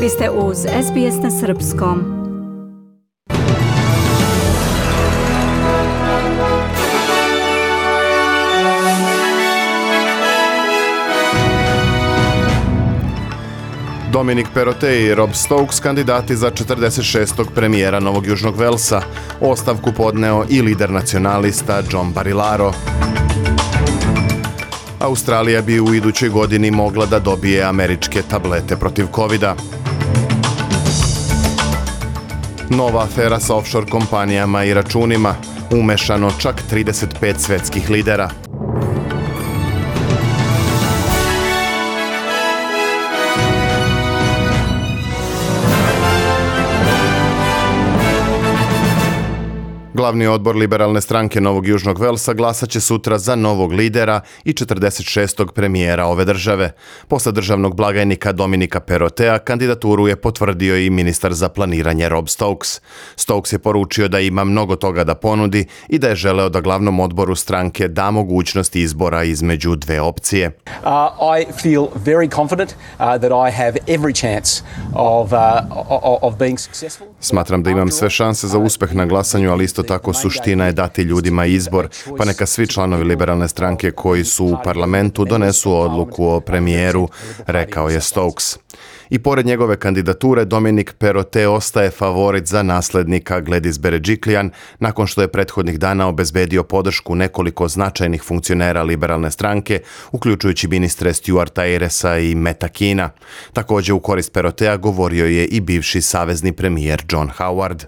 Vi ste uz SBS na srpskom. Dominic Perrottet i Rob Stokes kandidati za 46. premijera Novog Južnog Velsa. Ostavku podneo i lider nacionalista John Barilaro. Australija bi u idućoj godini mogla da dobije američke tablete protiv covida. Nova afera sa offshore kompanijama i računima. Umešano čak 35 svetskih lidera. Glavni odbor liberalne stranke Novog Južnog Velsa glasat će sutra za novog lidera i 46. premijera ove države. Posle državnog blagajnika Dominika Perrottea kandidaturu je potvrdio i ministar za planiranje Rob Stokes. Stokes je poručio da ima mnogo toga da ponudi i da je želeo da glavnom odboru stranke da mogućnost izbora između dve opcije. I feel very confident that I have every chance of being successful. Smatram da imam sve šanse za uspeh na glasanju, ali isto tako suština je dati ljudima izbor, pa neka svi članovi liberalne stranke koji su u parlamentu donesu odluku o premijeru, rekao je Stokes. I pored njegove kandidature, Dominic Perrottet ostaje favorit za naslednika Gladys Berejiklian nakon što je prethodnih dana obezbedio podršku nekoliko značajnih funkcionera liberalne stranke, uključujući ministre Stuarta Ayersa i Metta Keena. Također u korist Perrottea govorio je i bivši savezni premijer John Howard.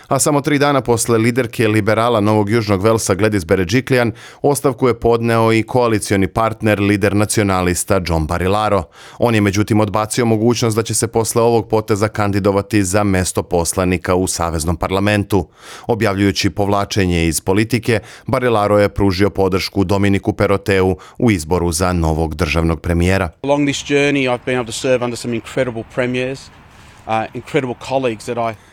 A samo 3 dana posle liderke liberala Novog Južnog Velsa Gladys Berejiklian, ostavku je podneo i koalicioni partner, lider nacionalista John Barilaro. On je međutim odbacio mogućnost da će se posle ovog poteza kandidovati za mesto poslanika u Saveznom parlamentu. Objavljujući povlačenje iz politike, Barilaro je pružio podršku Dominiku Perrotteu u izboru za novog državnog premijera. Along this journey I've been able to serve under some incredible premiers, incredible colleagues that I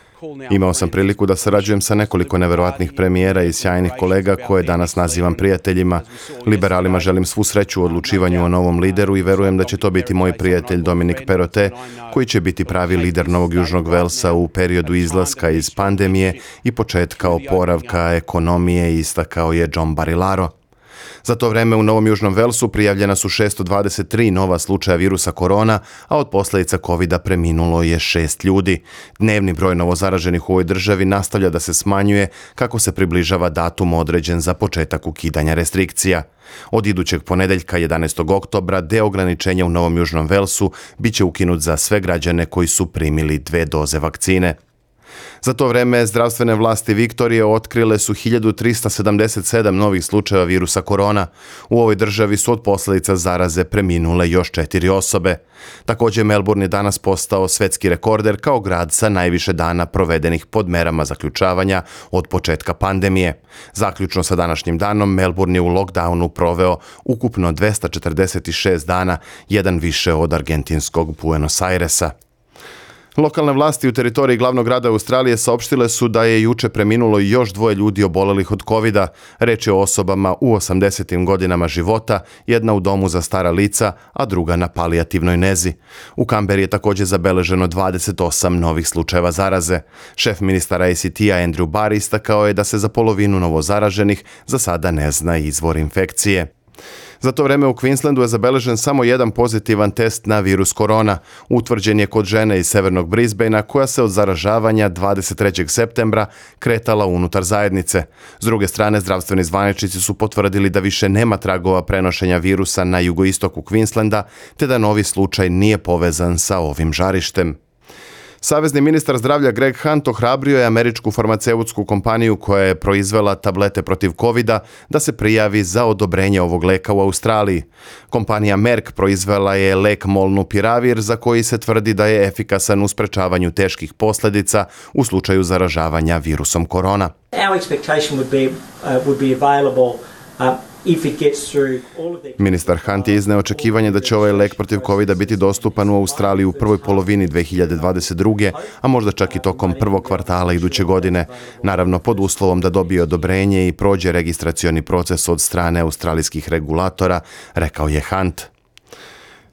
Imao sam priliku da sarađujem sa nekoliko neverovatnih premijera i sjajnih kolega koje danas nazivam prijateljima. Liberalima želim svu sreću u odlučivanju o novom lideru i verujem da će to biti moj prijatelj Dominic Perrottet, koji će biti pravi lider Novog Južnog Velsa u periodu izlaska iz pandemije i početka oporavka ekonomije, istakao je John Barilaro. Za to vreme u Novom Južnom Velsu prijavljena su 623 nova slučaja virusa korona, a od posljedica covida preminulo je 6 ljudi. Dnevni broj novozaraženih u ovoj državi nastavlja da se smanjuje kako se približava datum određen za početak ukidanja restrikcija. Od idućeg ponedeljka 11. oktobra deo ograničenja u Novom Južnom Velsu biće ukinut za sve građane koji su primili 2 doze vakcine. Za to vreme zdravstvene vlasti Viktorije otkrile su 1377 novih slučajeva virusa korona. U ovoj državi su od posljedica zaraze preminule još 4 osobe. Također Melbourne je danas postao svetski rekorder kao grad sa najviše dana provedenih pod merama zaključavanja od početka pandemije. Zaključno sa današnjim danom, Melbourne je u lockdownu proveo ukupno 246 dana, jedan više od argentinskog Buenos Airesa. Lokalne vlasti u teritoriji glavnog grada Australije saopštile su da je juče preminulo još 2 ljudi obolelih od covida. Reč je o osobama u 80. godinama života, jedna u domu za stara lica, a druga na palijativnoj nezi. U Kamberi je također zabeleženo 28 novih slučajeva zaraze. Šef ministara ACT-a Andrew Barr istakao je da se za polovinu novozaraženih za sada ne zna izvor infekcije. Za to vreme u Queenslandu je zabeležen samo jedan pozitivan test na virus korona. Utvrđen je kod žene iz severnog Brisbanea koja se od zaražavanja 23. septembra kretala unutar zajednice. S druge strane, zdravstveni zvaničnici su potvrdili da više nema tragova prenošenja virusa na jugoistoku Queenslanda, te da novi slučaj nije povezan sa ovim žarištem. Savezni ministar zdravlja Greg Hunt ohrabrio je američku farmaceutsku kompaniju koja je proizvela tablete protiv covida da se prijavi za odobrenje ovog leka u Australiji. Kompanija Merck proizvela je lek Molnupiravir za koji se tvrdi da je efikasan u sprečavanju teških posljedica u slučaju zaražavanja virusom korona. Our expectation would be available Ministar Hunt je izneo očekivanje da će ovaj lek protiv covida biti dostupan u Australiji u prvoj polovini 2022. a možda čak i tokom prvog kvartala iduće godine. Naravno, pod uslovom da dobije odobrenje i prođe registracioni proces od strane australijskih regulatora, rekao je Hunt.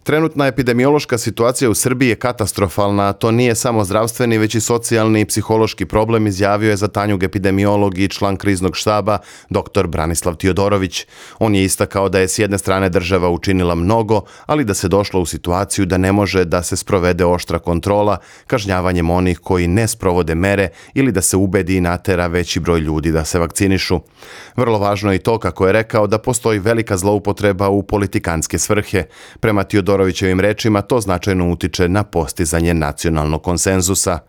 Trenutna epidemiološka situacija u Srbiji je katastrofalna, a to nije samo zdravstveni, već i socijalni i psihološki problem, izjavio je za Tanjug epidemiolog i član kriznog štaba dr. Branislav Tiodorović. On je istakao da je s jedne strane država učinila mnogo, ali da se došlo u situaciju da ne može da se sprovede oštra kontrola, kažnjavanjem onih koji ne sprovode mere ili da se ubedi i natera veći broj ljudi da se vakcinišu. Vrlo važno je i to, kako je rekao, da postoji velika zloupotreba u politikanske svrhe. Prema Tiodorovićevim rečima, to značajno utiče na postizanje nacionalnog konsenzusa.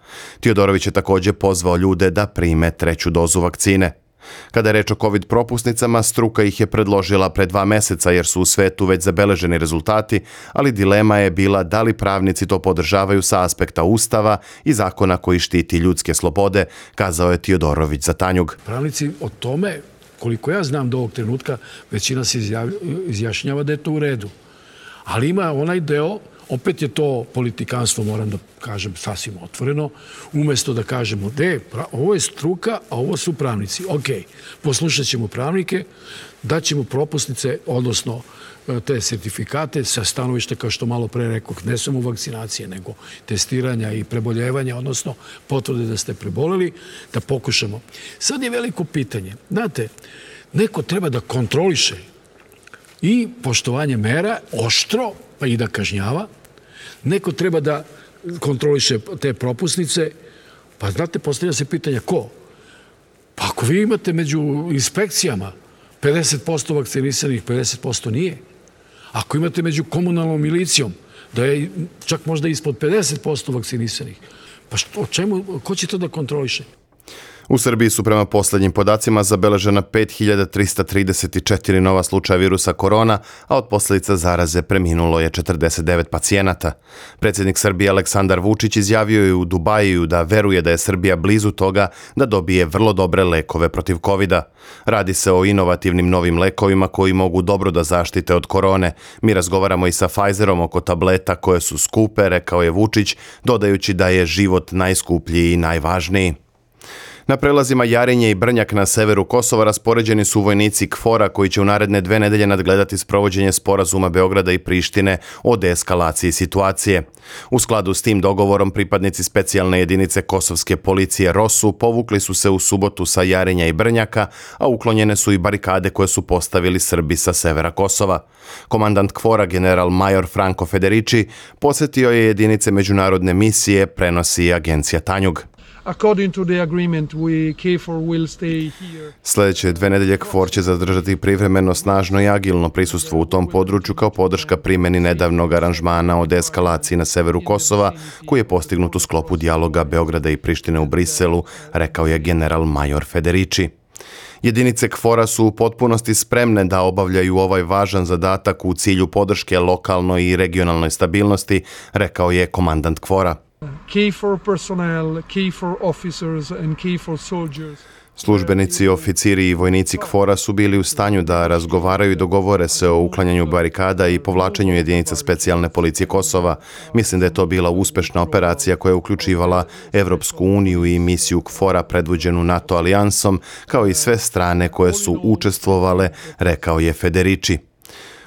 Tiodorović je također pozvao ljude da prime 3. dozu vakcine. Kada je reč o COVID propusnicama, struka ih je predložila pre 2 meseca jer su u svetu već zabeleženi rezultati, ali dilema je bila da li pravnici to podržavaju sa aspekta Ustava i zakona koji štiti ljudske slobode, kazao je Tiodorović za Tanjug. Pravnici o tome, koliko ja znam do ovog trenutka, većina se izjašnjava da je to u redu. Ali ima onaj deo, opet je to politikanstvo, moram da kažem sasvim otvoreno, umjesto da kažemo ovo je struka, a ovo su pravnici. Ok, poslušat ćemo pravnike, daćemo propusnice, odnosno te sertifikate sa stanovište, kao što malo pre rekao, ne samo vakcinacije, nego testiranja i preboljevanja, odnosno potvrde da ste preboleli, da pokušamo. Sad je veliko pitanje. Znate, neko treba da kontroliše i poštovanje mera oštro, pa i da kažnjava. Neko treba da kontroliše te propusnice. Pa znate, postavlja se pitanja ko? Pa ako vi imate među inspekcijama 50% vakcinisanih, 50% nije. Ako imate među komunalnom milicijom da je čak možda ispod 50% vakcinisanih, pa ko će to da kontroliše? U Srbiji su prema posljednjim podacima zabeležena 5334 nova slučaja virusa korona, a od posljedica zaraze preminulo je 49 pacijenata. Predsjednik Srbije Aleksandar Vučić izjavio je u Dubaju da veruje da je Srbija blizu toga da dobije vrlo dobre lekove protiv covida. Radi se o inovativnim novim lekovima koji mogu dobro da zaštite od korone. Mi razgovaramo i sa Pfizerom oko tableta koje su skupe, rekao je Vučić, dodajući da je život najskuplji i najvažniji. Na prelazima Jarinje i Brnjak na severu Kosova raspoređeni su vojnici KFOR-a koji će u naredne 2 nedelje nadgledati sprovođenje sporazuma Beograda i Prištine o deeskalaciji situacije. U skladu s tim dogovorom pripadnici specijalne jedinice kosovske policije ROSU povukli su se u subotu sa Jarinja i Brnjaka, a uklonjene su i barikade koje su postavili Srbi sa severa Kosova. Komandant KFOR-a general major Franco Federici posjetio je jedinice međunarodne misije, prenosi agencija Tanjug. According to the agreement, KFOR will stay here. Sljedeće 2 nedelje KFOR će zadržati privremeno, snažno i agilno prisustvo u tom području kao podrška primjeni nedavnog aranžmana o deeskalaciji na severu Kosova, koji je postignut u sklopu dijaloga Beograda i Prištine u Briselu, rekao je general major Federici. Jedinice KFOR-a su u potpunosti spremne da obavljaju ovaj važan zadatak u cilju podrške lokalnoj i regionalnoj stabilnosti, rekao je komandant KFOR-a. KFOR personnel, KFOR officers and KFOR soldiers. Službenici, oficiri i vojnici KFOR-a su bili u stanju da razgovaraju i dogovore se o uklanjanju barikada i povlačenju jedinica specijalne policije Kosova. Mislim da je to bila uspešna operacija koja je uključivala Evropsku uniju i misiju KFOR-a predvođenu NATO alijansom, kao i sve strane koje su učestvovale, rekao je Federici.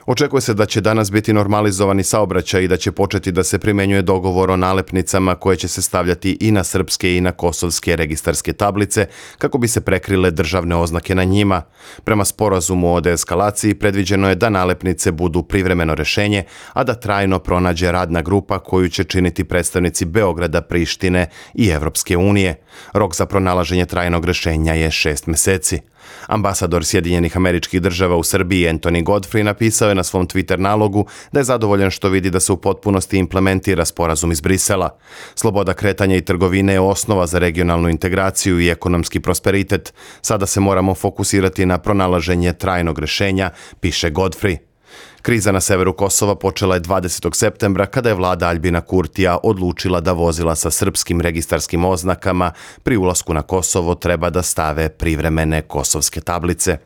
Očekuje se da će danas biti normalizovani saobraćaj i da će početi da se primjenjuje dogovor o nalepnicama koje će se stavljati i na srpske i na kosovske registarske tablice kako bi se prekrile državne oznake na njima. Prema sporazumu o deeskalaciji predviđeno je da nalepnice budu privremeno rešenje, a da trajno pronađe radna grupa koju će činiti predstavnici Beograda, Prištine i Evropske unije. Rok za pronalaženje trajnog rešenja je 6 meseci. Ambasador Sjedinjenih Američkih Država u Srbiji Anthony Godfrey napisao je na svom Twitter nalogu da je zadovoljan što vidi da se u potpunosti implementira sporazum iz Brisela. Sloboda kretanja i trgovine je osnova za regionalnu integraciju i ekonomski prosperitet. Sada se moramo fokusirati na pronalaženje trajnog rešenja, piše Godfrey. Kriza na severu Kosova počela je 20. septembra kada je vlada Aljbina Kurtija odlučila da vozila sa srpskim registarskim oznakama pri ulasku na Kosovo treba da stave privremene kosovske tablice.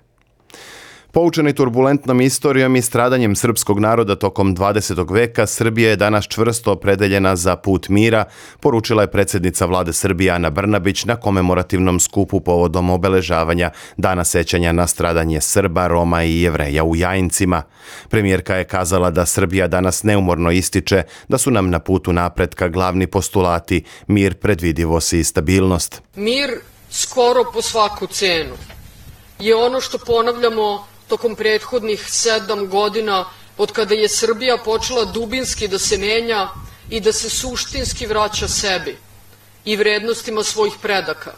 Poučeni turbulentnom istorijom i stradanjem srpskog naroda tokom 20. veka, Srbija je danas čvrsto opredeljena za put mira, poručila je predsjednica vlade Srbije Ana Brnabić na komemorativnom skupu povodom obeležavanja Dana sećanja na stradanje Srba, Roma i Jevreja u Jajincima. Premijerka je kazala da Srbija danas neumorno ističe da su nam na putu napretka glavni postulati mir, predvidivost i stabilnost. Mir skoro po svaku cenu je ono što ponavljamo tokom prethodnih 7 godina od kada je Srbija počela dubinski da se menja i da se suštinski vraća sebi i vrednostima svojih predaka,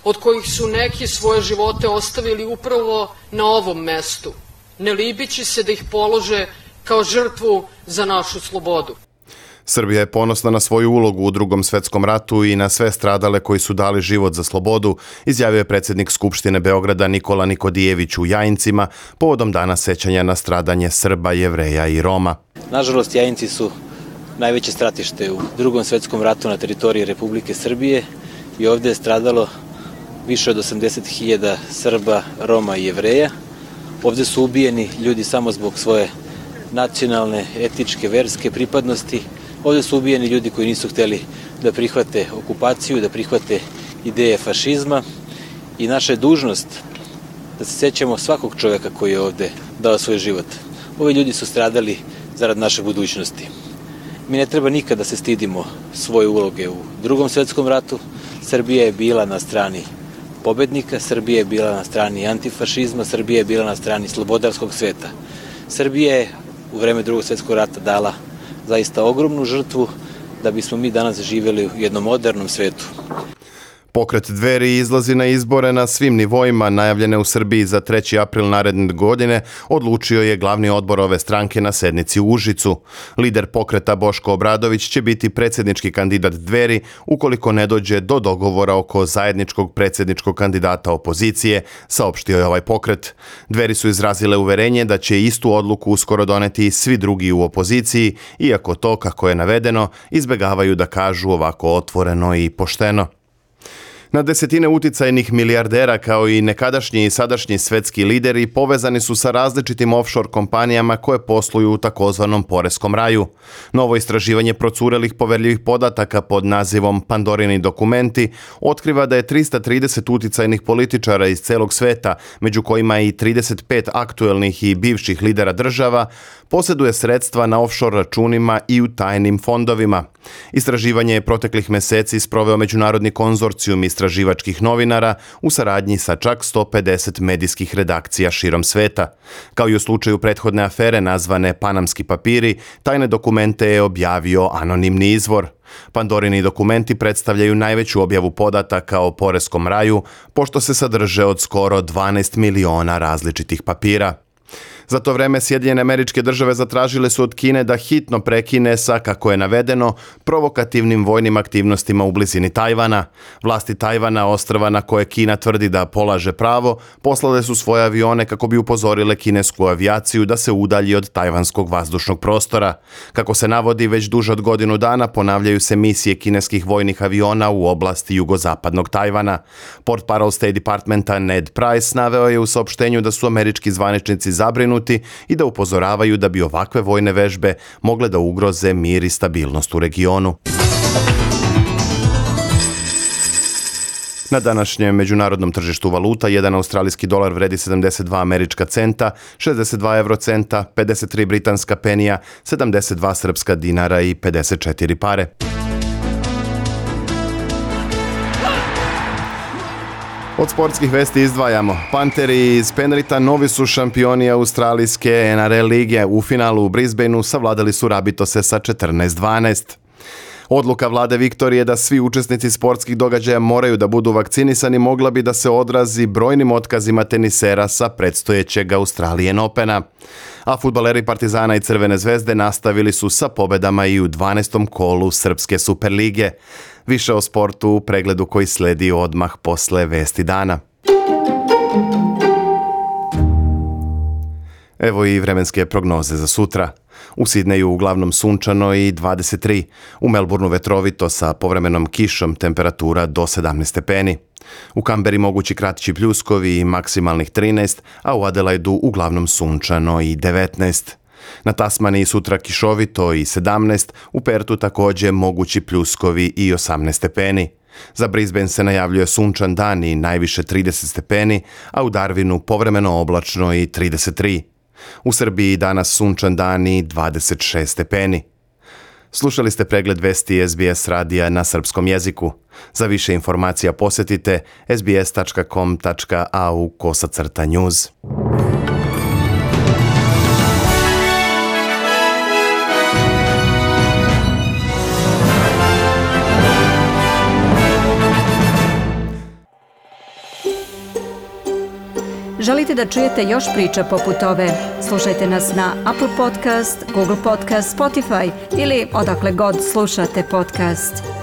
od kojih su neki svoje živote ostavili upravo na ovom mestu, ne libeći se da ih polože kao žrtvu za našu slobodu. Srbija je ponosna na svoju ulogu u Drugom svetskom ratu i na sve stradale koji su dali život za slobodu, izjavio je predsjednik Skupštine Beograda Nikola Nikodijević u Jajincima povodom Dana sećanja na stradanje Srba, Jevreja i Roma. Nažalost, Jajinci su najveće stratište u Drugom svetskom ratu na teritoriji Republike Srbije i ovdje je stradalo više od 80.000 Srba, Roma i Jevreja. Ovdje su ubijeni ljudi samo zbog svoje nacionalne, etičke, verske pripadnosti. Ovdje su ubijeni ljudi koji nisu htjeli da prihvate okupaciju, da prihvate ideje fašizma i naša je dužnost da se sjećamo svakog čovjeka koji je ovdje dao svoj život. Ovi ljudi su stradali zarad naše budućnosti. Mi ne treba nikada da se stidimo svoje uloge u Drugom svjetskom ratu. Srbija je bila na strani pobednika, Srbija je bila na strani antifašizma, Srbija je bila na strani slobodarskog sveta. Srbija je u vreme Drugog svjetskog rata dala zaista ogromnu žrtvu da bismo mi danas živjeli u jednom modernom svetu. Pokret Dveri izlazi na izbore na svim nivoima najavljene u Srbiji za 3. april naredne godine, odlučio je glavni odbor ove stranke na sednici u Užicu. Lider pokreta Boško Obradović će biti predsjednički kandidat Dveri ukoliko ne dođe do dogovora oko zajedničkog predsjedničkog kandidata opozicije, saopštio je ovaj pokret. Dveri su izrazile uverenje da će istu odluku uskoro doneti i svi drugi u opoziciji, iako to, kako je navedeno, izbegavaju da kažu ovako otvoreno i pošteno. Na desetine uticajnih milijardera kao i nekadašnji i sadašnji svetski lideri povezani su sa različitim offshore kompanijama koje posluju u takozvanom poreskom raju. Novo istraživanje procurelih poverljivih podataka pod nazivom Pandorini dokumenti otkriva da je 330 uticajnih političara iz celog sveta, među kojima i 35 aktuelnih i bivših lidera država, posjeduje sredstva na offshore računima i u tajnim fondovima. Istraživanje je proteklih meseci sproveo međunarodni konzorcijum istraživačkih novinara u saradnji sa čak 150 medijskih redakcija širom sveta. Kao i u slučaju prethodne afere nazvane Panamski papiri, tajne dokumente je objavio anonimni izvor. Pandorini dokumenti predstavljaju najveću objavu podataka o poreskom raju, pošto se sadrže od skoro 12 miliona različitih papira. Za to vreme Sjedinjene Američke Države zatražile su od Kine da hitno prekine sa, kako je navedeno, provokativnim vojnim aktivnostima u blizini Tajvana. Vlasti Tajvana, ostrva na koje Kina tvrdi da polaže pravo, poslale su svoje avione kako bi upozorile kinesku avijaciju da se udalji od tajvanskog vazdušnog prostora. Kako se navodi, već duže od godinu dana ponavljaju se misije kineskih vojnih aviona u oblasti jugozapadnog Tajvana. Portparol State Departmenta Ned Price naveo je u saopštenju da su američki zvaničnici zabrinuti i da upozoravaju da bi ovakve vojne vežbe mogle da ugroze mir i stabilnost u regionu. Na današnjem međunarodnom tržištu valuta, jedan australijski dolar vredi 72 američka centa, 62 eurocenta, 53 britanska penija, 72 srpska dinara i 54 pare. Od sportskih vesti izdvajamo. Panteri iz Penrita novi su šampioni australijske NRL lige. U finalu u Brisbaneu savladali su Rabitose sa 14-12. Odluka vlade Viktorije da svi učesnici sportskih događaja moraju da budu vakcinisani mogla bi da se odrazi brojnim otkazima tenisera sa predstojećeg Australian Opena. A fudbaleri Partizana i Crvene zvezde nastavili su sa pobedama i u 12. kolu Srpske Superlige. Više o sportu u pregledu koji sledi odmah posle vesti dana. Evo i vremenske prognoze za sutra. U Sidneju uglavnom sunčano i 23, u Melbourneu vetrovito sa povremenom kišom, temperatura do 17 stepeni. U Kamberi mogući kraći pljuskovi i maksimalnih 13, a u Adelaidu uglavnom sunčano i 19. Na Tasmaniji sutra kišovito i 17, u Pertu također mogući pljuskovi i 18 stepeni. Za Brisbane se najavljuje sunčan dan i najviše 30 stepeni, a u Darwinu povremeno oblačno i 33. U Srbiji danas sunčan dan i 26 stepeni. Slušali ste pregled vesti SBS radija na srpskom jeziku. Za više informacija posjetite sbs.com.au/news. Želite da čujete još priča poput ove? Slušajte nas na Apple Podcast, Google Podcast, Spotify ili odakle god slušate podcast.